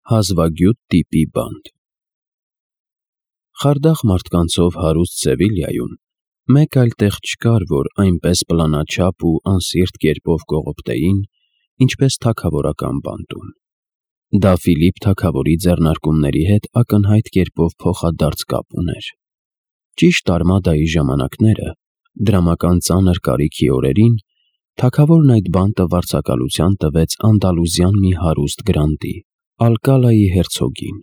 Հազվագյուտ տիպի բանտ։ Խարդախ մարդկանցով հարուստ Սևիլիայում մեկ այլ տեղ չկար, որ այնպես պլանաչափ ու անսիրտ կերպով կողոպտեին, ինչպես թագավորական բանտում։ Դա Ֆիլիպ թագավորի ձեռնարկումների հետ ակնհայտ կերպով փոխադարձ կապ ուներ։ Ճիշտ արմադայի ժամանակները, դրամական ծանր կարիքի օրերին, թագավորն այդ բանտը վարձակալության տվեց Անդալուզյան մի հարուստ գրանտի, Ալկալայի հերցոգին։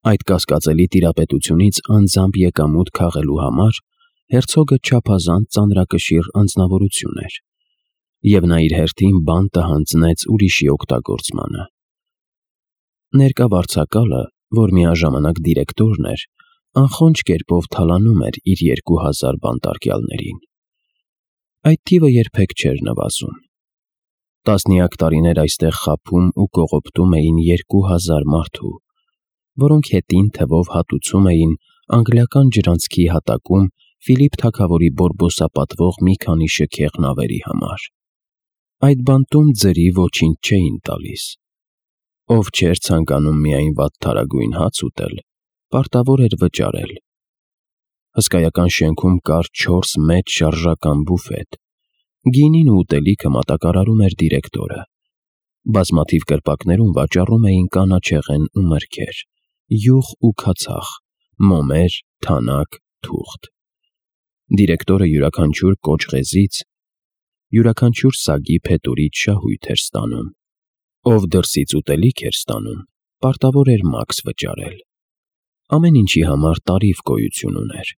Այդ կասկածելի տիրապետությունից անձամբ եկամուտ քաղելու համար հերցոգը չափազանց ծանրակշիռ անձնավորություն էր, և նա իր հերթին բանտը հանձնեց ուրիշի օգտագործմանը։ Ներկա վարձակալը, որ միաժամանակ դիրեկտորն էր, անխոնջ կերպով թալանում էր իր 2000 բանտարկյալներին։ Այդ թիվը երբեք չէր նվազում։ Տասնյակ տարիներ այստեղ խաբում ու կողոպտում էին 2000 մարդու, որոնք հետին թվով հատուցում էին անգլիական ջրանցքի հատակում Ֆիլիպ թագավորի բորբոսապատվող մի քանի շքեղ նավերի համար։ Այդ բանտում ձրի ոչինչ չէին տալիս։ Ով չէր ցանկանում միայն վատթարագույն հաց ուտել, պարտավոր էր վճարել։ Հսկայական շենքում կար 4 մեծ շարժական բուֆետ։ Գինին ու ուտելիքը մատակարարում էր դիրեկտորը։ Բազմաթիվ կրպակներում վաճառում էին կանաչեղեն ու մրգեր, յուղ ու քացախ, մոմեր, թանաք, թուղթ։ Դիրեկտորը յուրաքանչյուր կոճղեզից, յուրաքանչյուր սագի փետուրից շահույթ էր ստանում։ Ով դրսից ուտելիք էր ստանում, պարտավոր էր մաքս վճարել։ Ամեն ինչի համար տարիֆ գոյություն ուներ։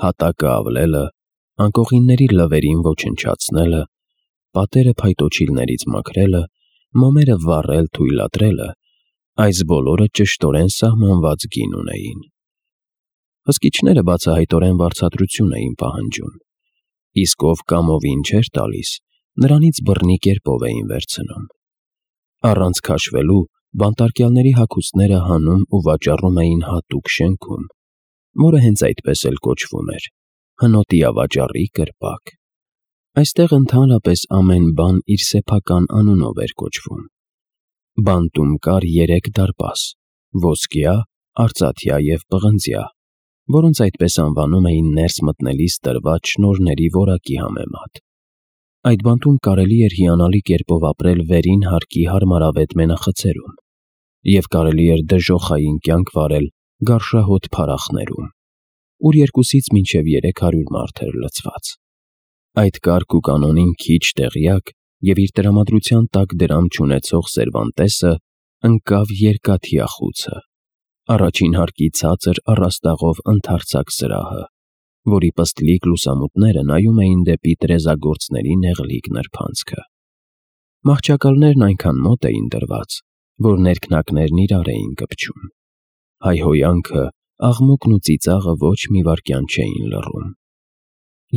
Հատակը ավլելը, անկողինների լվերին ոչնչացնելը, պատերը փայտոջիլներից մաքրելը, մոմերը վառել-թույլատրելը, այս բոլորը ճշտորեն սահմանված գին ունեին։ Հսկիչները բացահայտորեն վարձատրություն էին պահանջում, իսկ ով կամովին չէր տալիս, նրանից բռնի կերպով էին վերցնում։ Առանց քաշվելու բանտարկյալների հագուստները հանում ու վաճառում էին հատուկ շենքում, որը հենց այդպես էլ կոչվում էր հնոտիավաճառի կրպակ։ Այստեղ ընդհանրապես ամեն բան իր սեփական անունով էր կոչվում։ Բանտում կար 3 դարպաս՝ ոսկյա, արծաթյա և պղնձյա, որոնց այդպես անվանում էին ներս մտնելիս տրված շնորհների որակի համեմատ։ Այդ բանտում կարելի էր հիանալի կերպով ապրել վերին հարկի հարմարավետ մենախցերում, և կարելի էր դժոխային կյանք վարել գարշահոտ փարախներում, ուր 200-ից մինչև 300 մարդ էր լցված։ Այդ կարգ ու կանոնին քիչ տեղյակ և իր տրամադրության տակ դրամ չունեցող Սերվանտեսը ընկավ երկաթյա խուցը, առաջին հարկի ցածր առաստաղով ընդարձակ սրահը, որի պստլիկ լուսամուտները նայում էին դեպի տրեզագործների նեղլիկ նրբանցքը։ Մահճակալներն այնքան մոտ էին դրված, որ ներքնակներն իրար էին կպչում։ Հայհոյանքը, աղմուկն ու ծիծաղը ոչ մի վայրկյան չէին լռում։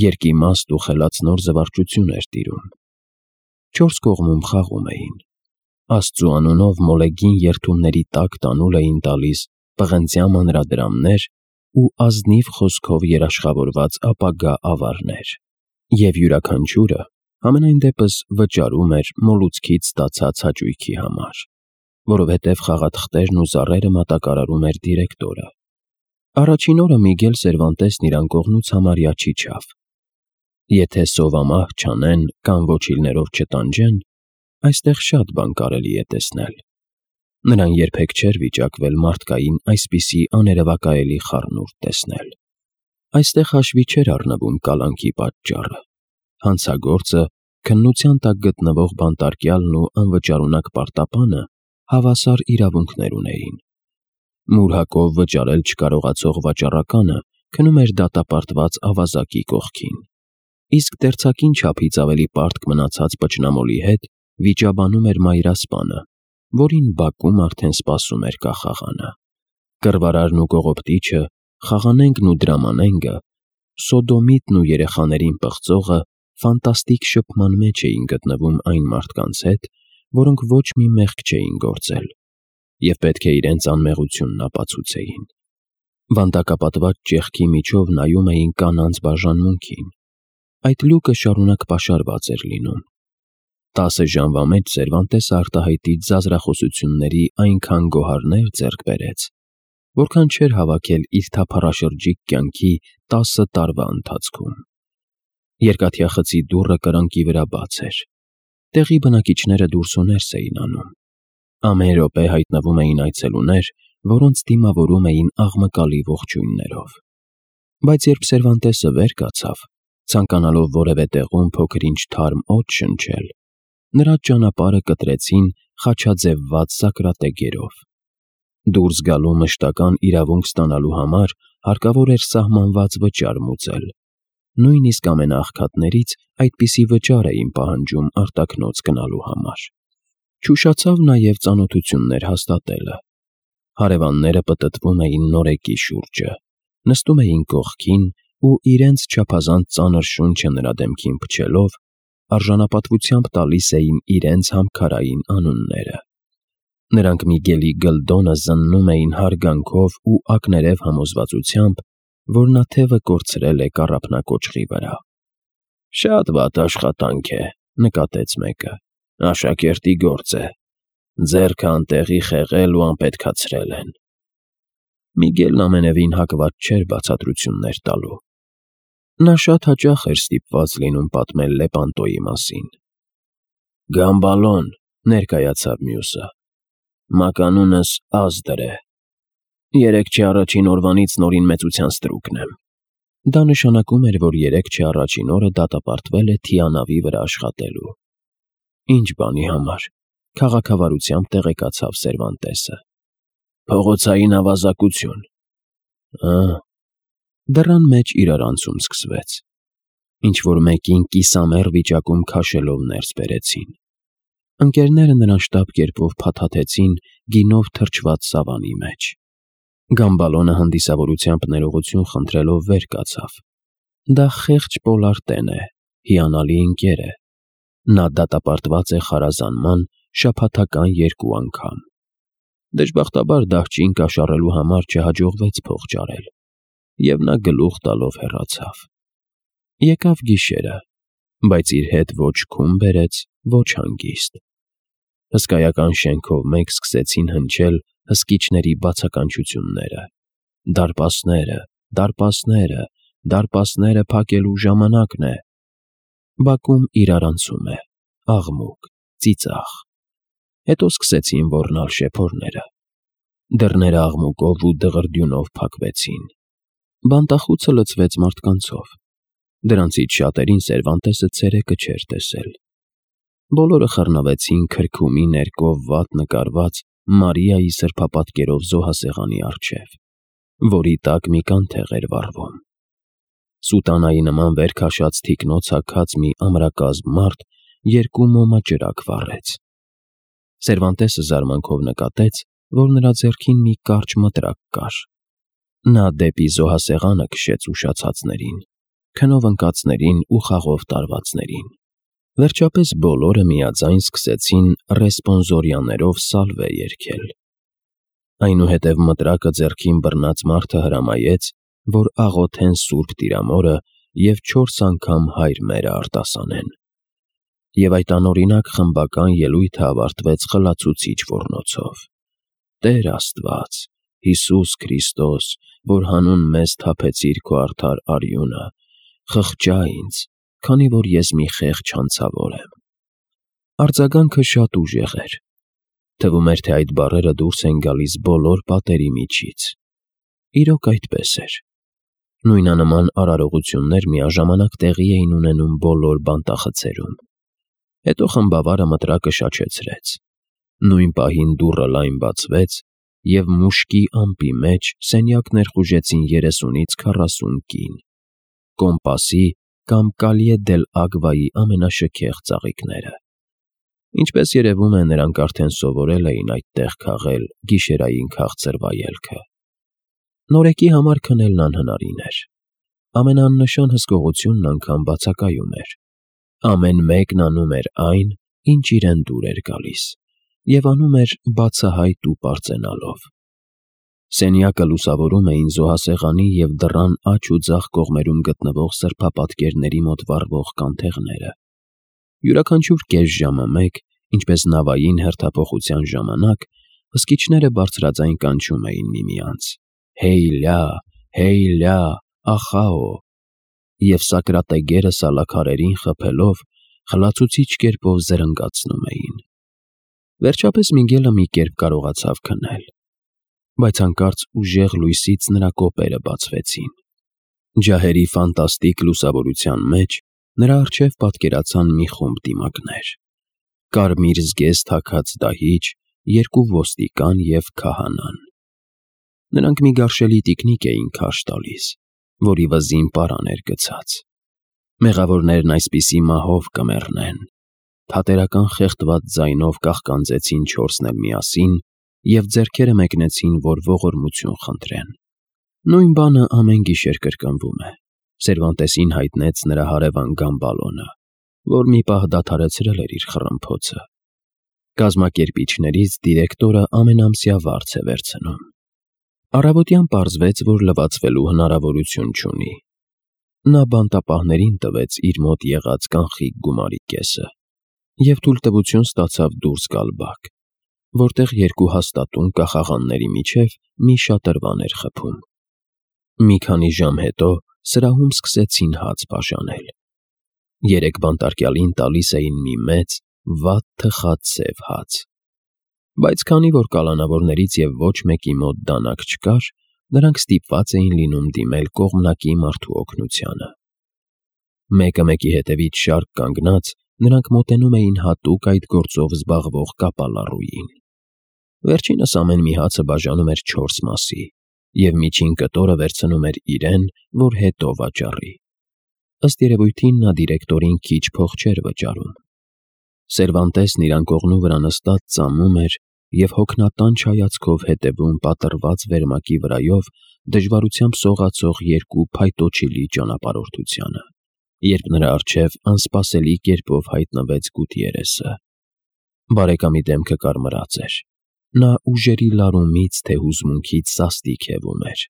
Երկիմաստ ու խելացնոր զվարճություն էր տիրում։ 4 կողմում խաղում էին։ Աստծու անունով մոլեգին երդումների տակ տանուլ էին տալիս պղնձյա մանրադրամներ ու ազնիվ խոսքով երաշխավորված ապագա ավարներ, և յուրաքանչյուրը համենայն դեպս վճարում էր մոլուցքից ստացած հաճույքի համար, որովհետև խաղաթղթերն ու զառերը մատակարարում էր դիրեկտորը։ Առաջին օրը Միգել Սերվանտեսն իր անկողնուց համարյա չիջավ։ Եթե սովամահ չանեն կամ ոչիլներով չտանջեն, այստեղ շատ բան կարելի է տեսնել։ Նրան երբեք չէր վիճակվել մարդկային այսպիսի աներևակայելի խառնուրդ տեսնել։ Այստեղ հաշվի չէր առնվում կալանքի պատճառը։ Հանցագործը, քննության տակ գտնվող բանտարկյալն ու անվճարունակ պարտապանը հավասար իրավունքներ ունեին։ Մուրհակով վճարել չկարողացող վաճառականը քնում էր դատապարտված ավազակի կողքին, իսկ դերձակին չափից ավելի պարտք մնացած պճնամոլի հետ վիճաբանում էր մայրասպանը, որին բակում արդեն սպասում էր կախաղանը։ Կռվարարն ու կողոպտիչը, խաղանենգն ու դրամանենգը, սոդոմիտն ու երեխաներին պղծողը ֆանտաստիկ շփման մեջ էին գտնվում այն մարդկանց հետ, որոնք ոչ մի մեղք չէին գործել և պետք է իրենց անմեղությունն ապացուցեին։ Վանդակապատված ճեղքի միջով նայում էին կանանց բաժանմունքին։ Այդ լուկը շարունակ պաշարված էր լինում։ 10 ժամվա մեջ Սերվանտեսը արտահայտից զազրախոսությունների այնքան գոհարներ ձեռք բերեց, որքան չէր հավաքել իր թափառաշրջիկ կյանքի 10 տարվա ընթացքում։ Երկաթյա խցի դուռը կրանքի վրա բաց էր։ Տեղի բնակիչները դուրս ու ներս էին անում։ Ամեն րոպե հայտնվում էին այցելուներ, որոնց դիմավորում էին աղմկալի ողջույններով։ Բայց երբ Սերվանտեսը վեր կացավ, ցանկանալով որևէ տեղում փոքր-ինչ թարմ օդ շնչել, նրա ճանապարհը կտրեցին խաչաձևված սակրատեգերով։ Դուրս գալու մշտական իրավունք ստանալու համար հարկավոր էր սահմանված վճար մուծել։ Նույնիսկ ամենաաղքատներից այդպիսի վճար էին պահանջում արտաքնոց գնալու համար։ Չուշացավ նաև ծանոթություններ հաստատելը։ Հարևանները պտտվում էին նորեկի շուրջը, նստում էին կողքին ու իրենց չափազանց ծանր շունչը նրա դեմքին փչելով, արժանապատվությամբ տալիս էին իրենց համքարային անունները։ Նրանք Միգելի գլդոնը զննում էին հարգանքով ու ակներև համոզվածությամբ, որ նա թևը կորցրել է կառափնակոճղի վրա։ «Շատ վատ աշխատանք է», նկատեց մեկը։ «Աշակերտի գործ է։ Ձեռքը անտեղի խեղել ու անպետքացրել են»։ Միգելն ամենևին հակված չէր բացատրություններ տալու։ Նա շատ հաճախ էր ստիպված լինում պատմել Լեպանտոյի մասին։ «Գամբալոն», ներկայացավ մյուսը։ «Մականունս Ազդր է։ 3 չէ առաջին օրվանից նորին մեծության ստրուկն եմ»։ Դա նշանակում էր, որ 3 չէ առաջին օրը դատապարտվել է թիանավի վրա աշխատելու։ Ինչ բանի համար, քաղաքավարությամբ տեղեկացավ Սերվանտեսը։ «Փողոցային ավազակություն»։ Դռան մեջ իրարանցում սկսվեց։ Ինչ-որ մեկին կիսամեռ վիճակում քաշելով ներս բերեցին։ Ընկերները նրան շտապ կերպով փաթաթեցին գինով թրջված սավանի մեջ։ Գամբալոնը հանդիսավորությամբ ներողություն խնդրելով վեր կացավ։ Դա խեղճ Պոլարտեն է, հիանալի ընկեր է։ Նա դատապարտված է խարազանման շաբաթական 2 անգամ։ Դժբախտաբար դահճին կաշառելու համար չհաջողվեց փող ճարել, և նա գլուխ տալով հեռացավ։ Եկավ գիշերը, բայց իր հետ ոչ քուն բերեց, ոչ հանգիստ։ Հսկայական շենքով մեկ սկսեցին հնչել հսկիչների բացականչությունները։ «Դարպասները, դարպասները, դարպասները փակելու ժամանակն է»։ Բակում իրարանցում է, աղմուկ, ծիծաղ։ Հետո սկսեցին ոռնալ շեփորները։ Դռները աղմուկով ու դղրդյունով փակվեցին։ Բանտախուցը լցվեց մարդկանցով։ Դրանցից շատերին Սերվանտեսը ցերեկը չէր տեսել։ Բոլորը խռնվեցին քրքումի ներկով վատ նկարված Մարիայի սրբապատկերով զոհասեղանի առջև, որի տակ մի կանթեղ էր վառվում։ Սուտանայի նման վեր քաշած թիկնոց հագած մի ամրակազմ մարդ 2 մոմաճրակ վառեց։ Սերվանտեսը զարմանքով նկատեց, որ նրա ձեռքին մի կարճ մտրակ կար։ Նա դեպի զոհասեղանը քշեց ուշացածներին, քնով ընկածներին ու խաղով տարվածներին։ Վերջապես բոլորը միաձայն սկսեցին ռեսպոնսորյաներով սալվե երգել։ Այնուհետև մտրակը ձեռքին բռնած մարդը հրամայեց, որ աղոթեն Սուրբ Տիրամորը և 4 անգամ Հայր մերը արտասանեն։ Եվ այդ անօրինակ խմբական ելույթը ավարտվեց խլացուցիչ ոռնոցով. «Տեր Աստված, Հիսուս Քրիստոս, որ հանուն մեզ թափեցիր քո արդար արյունը, խղճա ինձ, քանի որ ես մի խեղճ հանցավոր եմ»։ Արձագանքը շատ ուժեղ էր։ Թվում էր, թե այդ բառերը դուրս են գալիս բոլոր պատերի միջից։ Իրոք այդպես էր։ Նույնանման արարողություններ միաժամանակ տեղի էին ունենում բոլոր բանտախցերում։ Հետո խմբավարը մտրակը շաչեցրեց։ Նույն պահին դուռը լայն բացվեց, և մուշկի ամպի մեջ սենյակ ներխուժեցին 30-ից 40 կին, կոմպասի կամ Կալիե դել Ագվայի ամենաշքեղ ծաղիկները։ Ինչպես երևում է, նրանք արդեն սովորել էին այդտեղ քաղել գիշերային քաղցր վայելքը։ Նորեկի համար քնելն անհնարին էր։ Ամենաաննշան հսկողությունն անգամ բացակայում էր։ Ամեն մեկն անում էր այն, ինչ իրեն դուր էր գալիս, և անում էր բացահայտ ու պարծենալով։ Սենյակը լուսավորում էին զոհասեղանի և դռան աջ ու ձախ կողմերում գտնվող սրբապատկերների մոտ վառվող կանթեղները։ Յուրաքանչյուր կես ժամը մեկ, ինչպես նավային հերթափոխության ժամանակ, հսկիչները բարձրաձայն կանչում էին միմյանց. «Հեյլա, հեյլա, ախաո», և սակրատեգերը սալաքարերին խփելով խլացուցիչ կերպով զրնգացնում էին։ Վերջապես Միգելը մի կերպ կարողացավ քնել, բայց հանկարծ ուժեղ լույսից նրա կոպերը բացվեցին։ Ջահերի ֆանտաստիկ լուսավորության մեջ նրա առջև պատկերացան մի խումբ դիմակներ. կարմիր զգեստ հագած դահիճ, երկու ոստիկան և քահանան։ Նրանք մի գարշելի տիկնիկ էին քարշ տալիս, որի վզին պարան էր գցած։ Մեղավորներն այսպիսի մահով կմեռնեն։ Թատերական խեղդված ձայնով կաղկանձեցին չորսն էլ միասին և ձեռքերը մեկնեցին, որ ողորմություն խնդրեն։ Նույն բանը ամեն գիշեր կրկնվում է, Սերվանտեսին հայտնեց նրա հարևան Գամբալոնը, որ մի պահ դադարեցրել էր իր խռմփոցը։ Կազմակերպիչներից դիրեկտորը ամենամսյա վարձ է վերցնում։ Առավոտյան պարզվեց, որ լվացվելու հնարավորություն չունի։ Նա բանտապահներին տվեց իր մոտ եղած կանխիկ գումարի կեսը և թույլտվություն ստացավ դուրս գալ բակ, որտեղ երկու հաստատուն կախաղանների միջև մի շատրվան էր խփում։ Մի քանի ժամ հետո սրահում սկսեցին հաց բաժանել։ Երեք բանտարկյալին տալիս էին մի մեծ, վատ թխած սև հաց։ Բայց քանի որ կալանավորներից և ոչ մեկի մոտ դանակ չկար, նրանք ստիպված էին լինում դիմել կողմնակի մարդու օգնությանը։ Մեկը մեկի հետևից շարք կանգնած, նրանք մոտենում էին հատուկ այդ գործով զբաղվող կապալառուին։ Վերջինս ամեն մի հացը բաժանում էր 4 մասի և միջին կտորը վերցնում էր իրեն, որ հետո վաճառի։ Ըստ երևույթին նա դիրեկտորին քիչ փող չէր վճարում։ Սերվանտեսն իր անկողնու վրա նստած ծամում էր և հոգնատանչ հայացքով հետևում պատռված վերմակի վրայով դժվարությամբ սողացող երկու փայտոջիլի ճանապարհորդությանը, երբ նրա առջև անսպասելի կերպով հայտնվեց Գուտիերեսը։ Բարեկամի դեմքը կարմրած էր։ Նա ուժերի լարումից թե հուզմունքից սաստիկ հևում էր։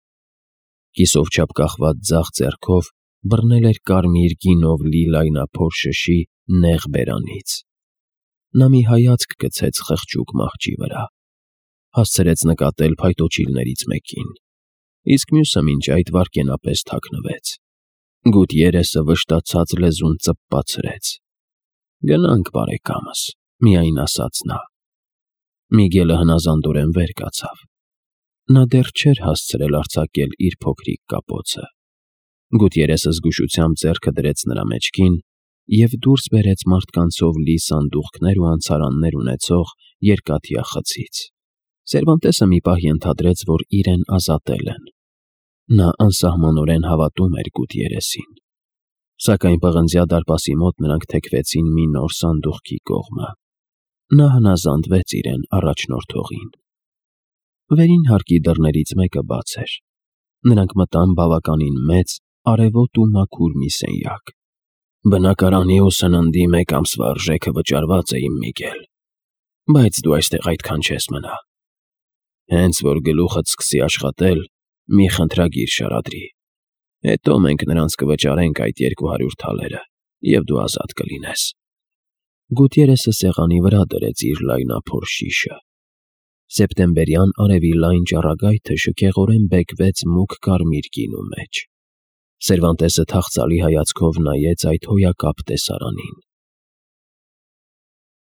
Կիսով չափ կախված ձախ ձեռքով բռնել էր կարմիր գինով լի լայնափոր շշի նեղ բերանից։ Նա մի հայացք գցեց խղճուկ մահճի վրա, հասցրեց նկատել փայտոջիլներից մեկին, իսկ մյուսը մինչ այդ վայրկենապես թաքնվեց։ Գուտիերեսը վշտացած լեզուն ծպպացրեց։ «Գնանք, բարեկամս», միայն ասաց նա։ Միգելը հնազանդորեն վեր կացավ։ Նա դեռ չէր հասցրել արձակել իր փոքրիկ կապոցը։ Գուտիերեսը զգուշությամբ ձեռքը դրեց նրա մեջքին և դուրս բերեց մարդկանցով լի սանդուղքներ ու անցարաններ ունեցող երկաթյա խցից։ Սերվանտեսը մի պահ ենթադրեց, որ իրեն ազատել են։ Նա անսահմանորեն հավատում էր Գուտիերեսին։ Սակայն պղնձյա դարպասի մոտ նրանք թեքվեցին մի նոր սանդուղքի կողմը։ Նա հնազանդվեց իրեն առաջնորդողին։ Վերին հարկի դռներից մեկը բաց էր։ Նրանք մտան բավականին մեծ, արևոտ ու մաքուր մի սենյակ։ «Բնակարանի ու սննդի մեկ ամսվա արժեքը վճարված է, իմ Միգել, բայց դու այստեղ այդքան չես մնա։ Հենց որ գլուխդ սկսի աշխատել, մի խնդրագիր շարադրի։ Հետո մենք նրանց կվճարենք այդ 200 թալերը, և դու ազատ կլինես»։ Գուտիերեսը սեղանի վրա դրեց իր լայնափոր շիշը։ Սեպտեմբերյան արևի լայն ճառագայթը շքեղորեն բեկվեց մուգ կարմիր գինու մեջ։ Սերվանտեսը թախծալի հայացքով նայեց այդ հոյակապ տեսարանին։